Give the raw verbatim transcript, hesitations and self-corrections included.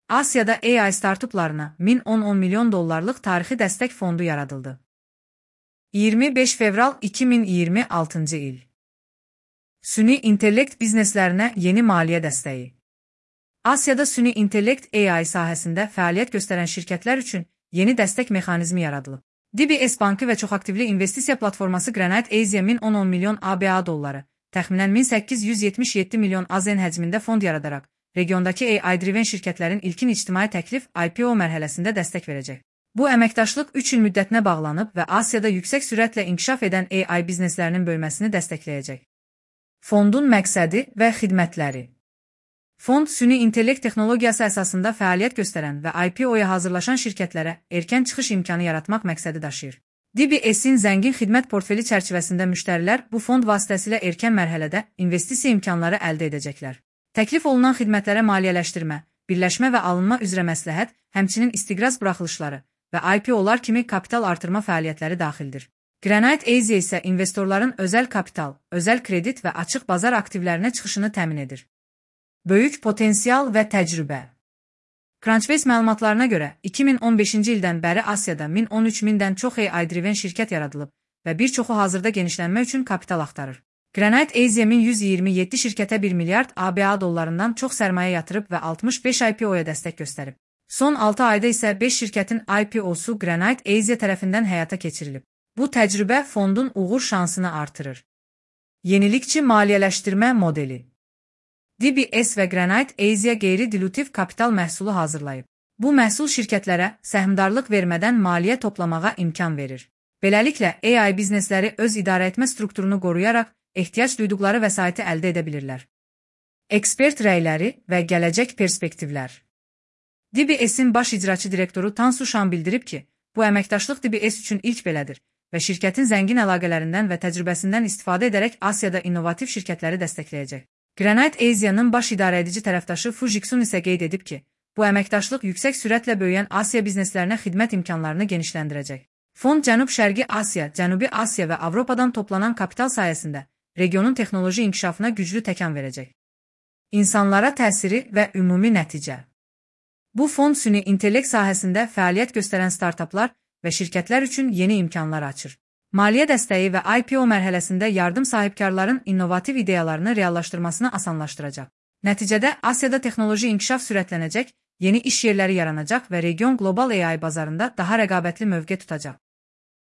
Asiyada A I startuplarına min on milyon dollarlıq tarixi dəstək fondu yaradıldı. iyirmi beş fevral iki min iyirmi altıncı il. Süni intellekt bizneslərinə yeni maliyyə dəstəyi. Asiyada süni intellekt A I sahəsində fəaliyyət göstərən şirkətlər üçün yeni dəstək mexanizmi yaradılıb. D B S Bankı və çoxaktivli investisiya platforması Granite Asia min on milyon A B A dolları, təxminən min səkkiz yüz yetmiş yeddi milyon A Z N həcmində fond yaradaraq, regiondakı A I-driven şirkətlərin ilkin ictimai təklif I P O mərhələsində dəstək verəcək. Bu əməkdaşlıq üç il müddətinə bağlanıb və Asiyada yüksək sürətlə inkişaf edən A I bizneslərinin bölməsini dəstəkləyəcək. Fondun məqsədi və xidmətləri. Fond, süni intellekt texnologiyası əsasında fəaliyyət göstərən və I P O-ya hazırlaşan şirkətlərə erkən çıxış imkanı yaratmaq məqsədi daşıyır. D B S-in zəngin xidmət portfeli çərçivəsində müştərilər bu fond vasitəsilə erkən mərhələdə investisiya imkanları əldə edəcəklər. Təklif olunan xidmətlərə maliyyələşdirmə, birləşmə və alınma üzrə məsləhət, həmçinin istiqraz buraxılışları və I P O-lar kimi kapital artırma fəaliyyətləri daxildir. Granite Asia isə investorların özəl kapital, özəl kredit və açıq bazar aktivlərinə çıxışını təmin edir. Böyük potensial və təcrübə. Crunchbase məlumatlarına görə, iki min on beşinci ildən bəri Asiyada min on üç mindən çox A I-driven şirkət yaradılıb və bir çoxu hazırda genişlənmə üçün kapital axtarır. Granite Asia min yüz iyirmi yeddi şirkətə bir milyard A B A dollarından çox sərmayə yatırıb və altmış beş I P O-ya dəstək göstərib. Son altı ayda isə beş şirkətin I P O-su Granite Asia tərəfindən həyata keçirilib. Bu təcrübə fondun uğur şansını artırır. Yenilikçi maliyyələşdirmə modeli. D B S və Granite Asia qeyri-dilutiv kapital məhsulu hazırlayıb. Bu məhsul şirkətlərə səhmdarlıq vermədən maliyyə toplamağa imkan verir. Beləliklə, A I biznesləri öz idarəetmə strukturunu qoruyaraq ehtiyac duyduqları vəsaiti əldə edə bilirlər. Ekspert rəyləri və gələcək perspektivlər. D B S-in baş icraçı direktoru Tansu Şan bildirib ki, bu əməkdaşlıq D B S üçün ilk belədir və şirkətin zəngin əlaqələrindən və təcrübəsindən istifadə edərək Asiyada innovativ şirkətləri dəstəkləyəcək. Granite Asia'nın baş idarəedici tərəfdaşı Fu Jixun isə qeyd edib ki, bu əməkdaşlıq yüksək sürətlə böyüyən Asiya bizneslərinə xidmət imkanlarını genişləndirəcək. Fond Cənub-Şərqi Asiya, Cənubi Asiya və Avropadan toplanan kapital sayəsində regionun texnoloji inkişafına güclü təkan verəcək. İnsanlara təsiri və ümumi nəticə. Bu fond süni intellekt sahəsində fəaliyyət göstərən startaplar və şirkətlər üçün yeni imkanlar açır. Maliyyə dəstəyi və I P O mərhələsində yardım sahibkarların innovativ ideyalarını reallaşdırmasını asanlaşdıracaq. Nəticədə Asiyada texnoloji inkişaf sürətlənəcək, yeni iş yerləri yaranacaq və region qlobal A I bazarında daha rəqabətli mövqe tutacaq.